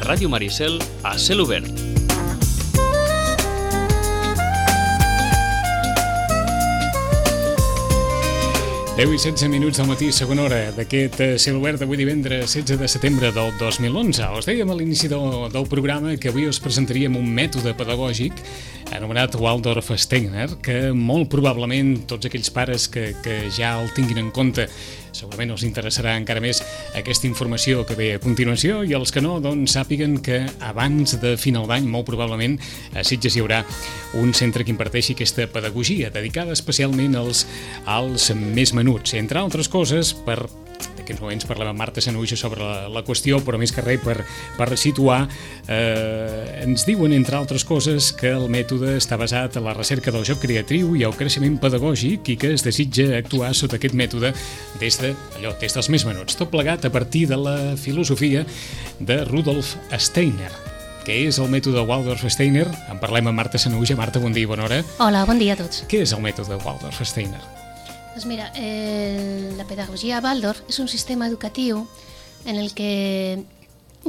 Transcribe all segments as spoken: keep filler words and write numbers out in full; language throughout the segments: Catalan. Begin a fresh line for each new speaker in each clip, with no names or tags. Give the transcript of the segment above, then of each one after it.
Ràdio Maricel a cel obert.
deu i setze minuts del matí, segona hora d'aquest cel obert d'avui divendres setze de setembre del dos mil onze. Us dèiem a l'inici del, del programa que avui us presentaríem un mètode pedagògic anomenat Waldorf Steiner, que molt probablement tots aquells pares que, que ja el tinguin en compte segurament us interessarà encara més aquesta informació que ve a continuació, i els que no, doncs sàpiguen que abans de final d'any, molt probablement, a Sitges hi haurà un centre que imparteixi aquesta pedagogia, dedicada especialment als, als més menuts, entre altres coses, per... en aquests moments parlem amb Marta Sanahuja sobre la, la qüestió, però més que res per, per situar, eh, ens diuen, entre altres coses, que el mètode està basat en la recerca del joc creatiu i el creixement pedagògic, i que es desitja actuar sota aquest mètode des de, allò, des dels més menuts. Tot plegat a partir de la filosofia de Rudolf Steiner. Què és el mètode Waldorf Steiner? En parlem amb Marta Sanahuja. Marta, bon dia i bona hora.
Hola, bon dia a tots.
Què és el mètode Waldorf Steiner?
Doncs mira, eh, la pedagogia Waldorf és un sistema educatiu en el que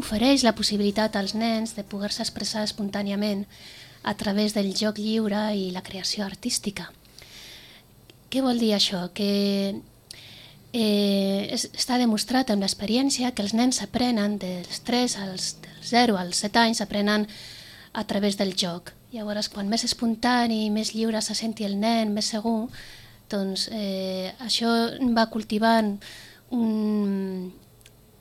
ofereix la possibilitat als nens de poder-se expressar espontàniament a través del joc lliure i la creació artística. Què vol dir això? Que eh, és, està demostrat amb l'experiència que els nens aprenen dels tres als dels zero als set anys, aprenen a través del joc. Llavors, quan més espontani i més lliure se senti el nen, més segur, doncs eh, això va cultivant un,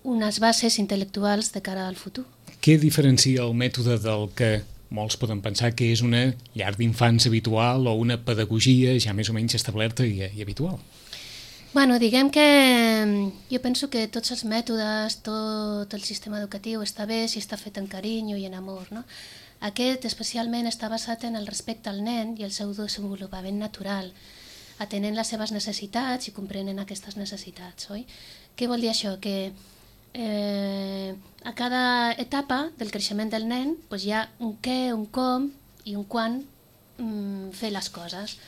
unes bases intel·lectuals de cara al futur.
Què diferencia el mètode del que molts poden pensar que és una llar d'infants habitual o una pedagogia ja més o menys establerta i, i habitual?
Bueno, diguem que jo penso que tots els mètodes, tot el sistema educatiu està bé si està fet en carinyo i en amor, no? Aquest especialment està basat en el respecte al nen i el seu desenvolupament natural, atenent les seves necessitats i comprenent aquestes necessitats, oi? Què vol dir això? Que eh, a cada etapa del creixement del nen doncs hi ha un què, un com i un quan mm, fer les coses.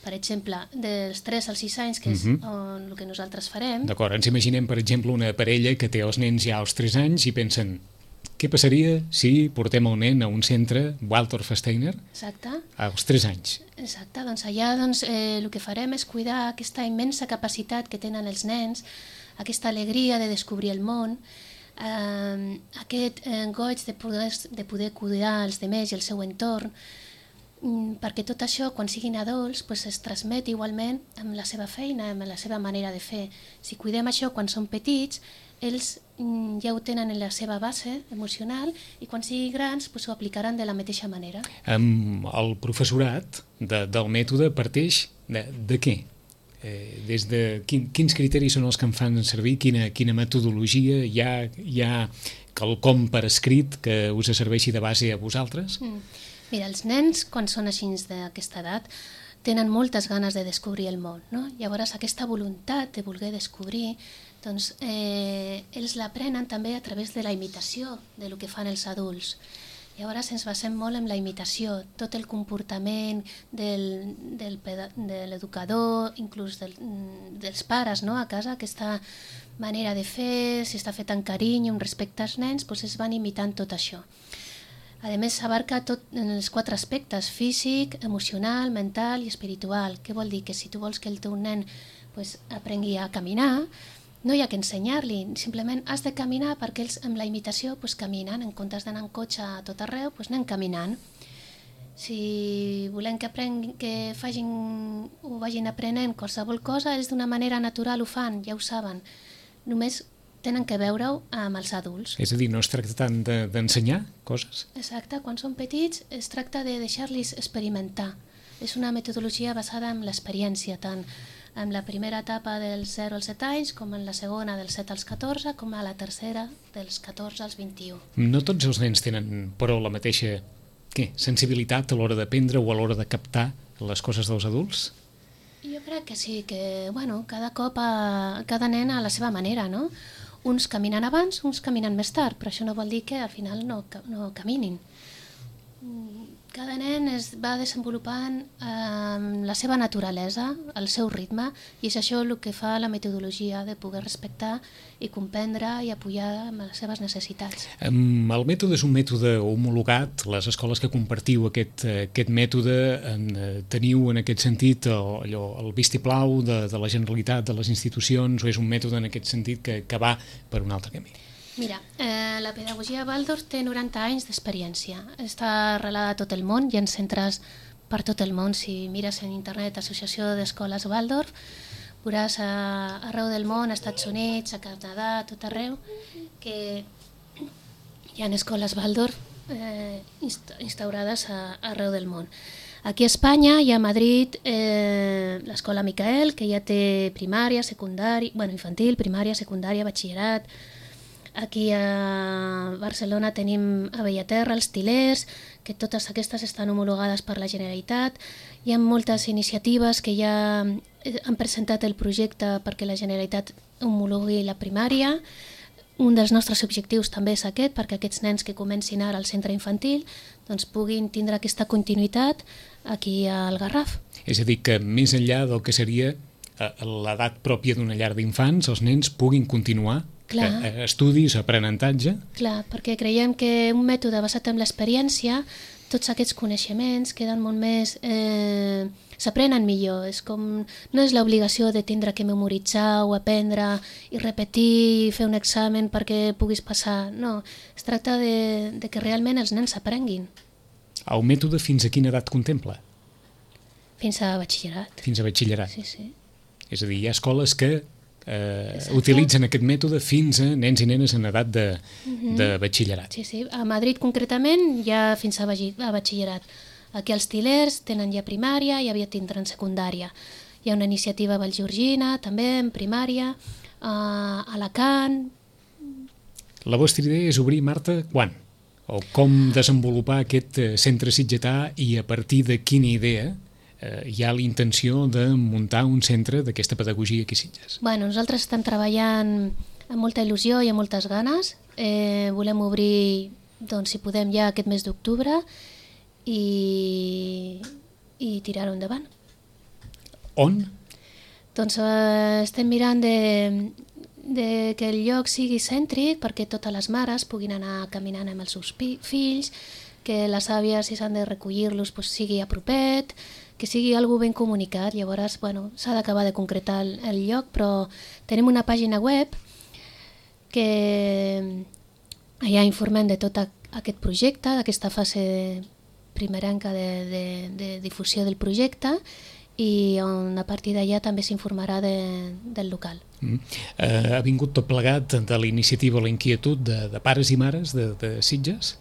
Per exemple, dels tres als sis anys, que és uh-huh. on, el que nosaltres farem...
D'acord, ens imaginem, per exemple, una parella que té els nens ja als tres anys i pensen: què passaria si portem el nen a un centre Waldorf Steiner
Exacte.
als tres anys?
Exacte, doncs allà doncs, eh, el que farem és cuidar aquesta immensa capacitat que tenen els nens, aquesta alegria de descobrir el món, eh, aquest eh, goig de poder, de poder cuidar els demés i el seu entorn, mm, perquè tot això, quan siguin adults, pues, es transmet igualment amb la seva feina, amb la seva manera de fer. Si cuidem això quan són petits, ells mm, ja ho tenen en la seva base emocional i quan siguin grans pues, ho aplicaran de la mateixa manera.
Um, el professorat de, del mètode parteix de, de què? Eh, des de quin, quins criteris són els que en fan servir? Quina, quina metodologia? Hi ha, hi ha quelcom per escrit que us serveixi de base a vosaltres?
Mm. Mira, els nens, quan són així d'aquesta edat, tenen moltes ganes de descobrir el món, no? Llavors aquesta voluntat de voler descobrir, doncs eh, ells l'aprenen també a través de la imitació de lo que fan els adults. Llavors ens basem molt en la imitació, tot el comportament del, del, de l'educador, inclús del, dels pares, no? A casa, aquesta manera de fer, si està fet amb carinyo, amb respecte als nens, doncs es van imitant tot això. A més, s'abarca tot en els quatre aspectes: físic, emocional, mental i espiritual. Què vol dir? Que si tu vols que el teu nen pues, aprengui a caminar, no hi ha que ensenyar-li, simplement has de caminar perquè ells amb la imitació pues, caminen, en comptes d'anar en cotxe a tot arreu, pues, anem caminant. Si volem que, aprengui, que facin, ho vagin aprenent qualsevol cosa, ells d'una manera natural ho fan, ja ho saben. Només tenen que veure-ho amb els adults.
És a dir, no es tracta tant de, d'ensenyar coses?
Exacte, quan són petits es tracta de deixar-los experimentar. És una metodologia basada en l'experiència, tant en la primera etapa dels zero als set anys, com en la segona dels set als catorze, com a la tercera dels catorze als vint-i-u.
No tots els nens tenen, però, la mateixa què, sensibilitat a l'hora d'aprendre o a l'hora de captar les coses dels adults?
Jo crec que sí, que bueno, cada cop, a, cada nen a la seva manera, no? Uns caminen abans, uns caminen més tard, però això no vol dir que al final no, no caminin. Cada nen es va desenvolupant eh, la seva naturalesa, el seu ritme, i és això el que fa la metodologia, de poder respectar i comprendre i apoyar amb les seves necessitats.
Um, el mètode és un mètode homologat. Les escoles que compartiu aquest, aquest mètode en, teniu en aquest sentit el, allò, el vistiplau de, de la Generalitat, de les institucions, o és un mètode en aquest sentit que, que va per un altre camí?
Mira, eh, la pedagogia Waldorf té noranta anys d'experiència. Està arrelada a tot el món, hi ha centres per tot el món. Si mires en internet Associació d'Escoles Waldorf, veuràs a, arreu del món, als Estats Units, a Canadà, a tot arreu, que hi ha escoles Waldorf eh, instaurades a, arreu del món. Aquí a Espanya hi ha a Madrid eh, l'escola Micael, que ja té primària, secundària, bueno, infantil, primària, secundària, batxillerat. Aquí a Barcelona tenim a Bellaterra, els Til·lers, que totes aquestes estan homologades per la Generalitat. Hi ha moltes iniciatives que ja han presentat el projecte perquè la Generalitat homologui la primària. Un dels nostres objectius també és aquest, perquè aquests nens que comencin ara al centre infantil doncs puguin tindre aquesta continuïtat aquí al Garraf.
És a dir, que més enllà del que seria l'edat pròpia d'una llar d'infants, els nens puguin continuar
Clar.
estudis, aprenentatge.
Clar, perquè creiem que un mètode basat en l'experiència, tots aquests coneixements queden molt més... Eh, s'aprenen millor. És com, no és l'obligació de tindre que memoritzar o aprendre i repetir i fer un examen perquè puguis passar. No, es tracta de, de que realment els nens s'aprenguin.
El mètode fins a quina edat contempla?
Fins a batxillerat.
Fins a batxillerat.
Sí, sí.
És a dir, hi ha escoles que eh, utilitzen aquest mètode fins a nens i nenes en edat de, uh-huh. de batxillerat.
Sí, sí. A Madrid concretament hi ha fins a batxillerat. Aquí els Til·lers tenen ja primària i aviat tindran secundària. Hi ha una iniciativa a Vallgorgina, també en primària, a Alacant.
La vostra idea és obrir, Marta, quan? O com desenvolupar aquest centre sitgetà i a partir de quina idea eh, hi ha la intenció de muntar un centre d'aquesta pedagogia aquí a Sitges?
Bueno, nosaltres estem treballant amb molta il·lusió i amb moltes ganes. Eh, volem obrir, doncs, si podem, ja aquest mes d'octubre i, i tirar-ho endavant.
On?
Doncs eh, estem mirant de, de que el lloc sigui cèntric perquè totes les mares puguin anar caminant amb els seus fills, que les àvies, si s'han de recollir-los, doncs sigui a propet, que sigui algo ben comunicat. Llavors, bueno, s'ha d'acabar de concretar el, el lloc, però tenim una pàgina web que allà informem de tot aquest projecte, d'aquesta fase primerenca de, de, de difusió del projecte, i on a partir d'allà també s'informarà de, del local.
Mm. Eh, ha vingut tot plegat de la iniciativa, la inquietud de, de pares i mares de, de Sitges?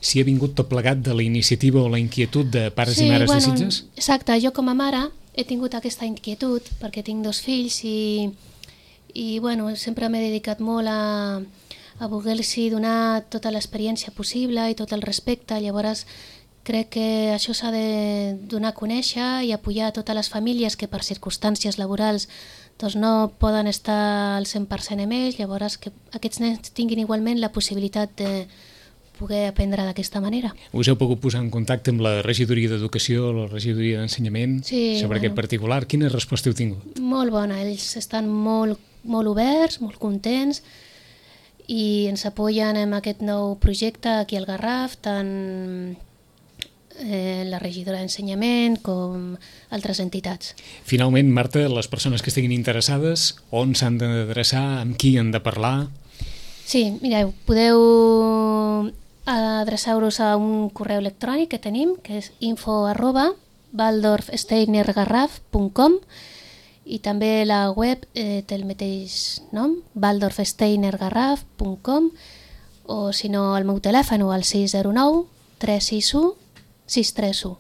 Si ha vingut tot plegat de la iniciativa o la inquietud de pares
sí,
i mares
bueno,
de Sitges?
Exacte, jo com a mare he tingut aquesta inquietud perquè tinc dos fills i, i bueno, sempre m'he dedicat molt a, a voler-los donar tota l'experiència possible i tot el respecte. Llavors crec que això s'ha de donar a conèixer i apoyar a totes les famílies que per circumstàncies laborals doncs no poden estar al cent per cent amb ells. Llavors que aquests nens tinguin igualment la possibilitat de poder aprendre d'aquesta manera.
Us heu pogut posar en contacte amb la regidoria d'Educació, la regidoria d'Ensenyament,
sí,
sobre bueno, aquest particular? Quina resposta heu tingut?
Molt bona, ells estan molt, molt oberts, molt contents i ens apoyen en aquest nou projecte aquí al Garraf, tant eh, la regidora d'Ensenyament com altres entitats.
Finalment, Marta, les persones que estiguin interessades, on s'han d'adreçar, amb qui han de parlar?
Sí, mireu, podeu adreçar-vos a un correu electrònic que tenim, que és info arroba waldorf steiner garraf punt com, i també la web eh, té el mateix nom, waldorf steiner garraf punt com, o si no el meu telèfon al sis zero nou tres sis u sis tres u.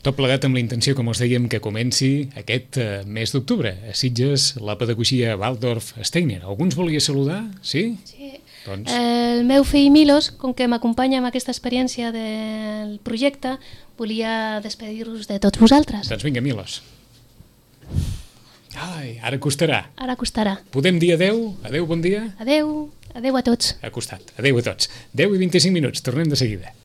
Tot plegat amb la intenció, com us dèiem, que comenci aquest eh, mes d'octubre. A Sitges, la pedagogia Waldorf Steiner. Algú ens volia saludar? Sí?
Sí.
Doncs...
El meu fill Milos, com que m'acompanya amb aquesta experiència del projecte, volia despedir-vos de tots vosaltres.
Doncs vinga, Milos. Ai, ara costarà.
Ara costarà.
Podem dir adeu? Adeu, bon dia?
Adeu, adeu a tots.
Ha costat. Adeu a tots. deu i vint-i-cinc minuts. Tornem de seguida.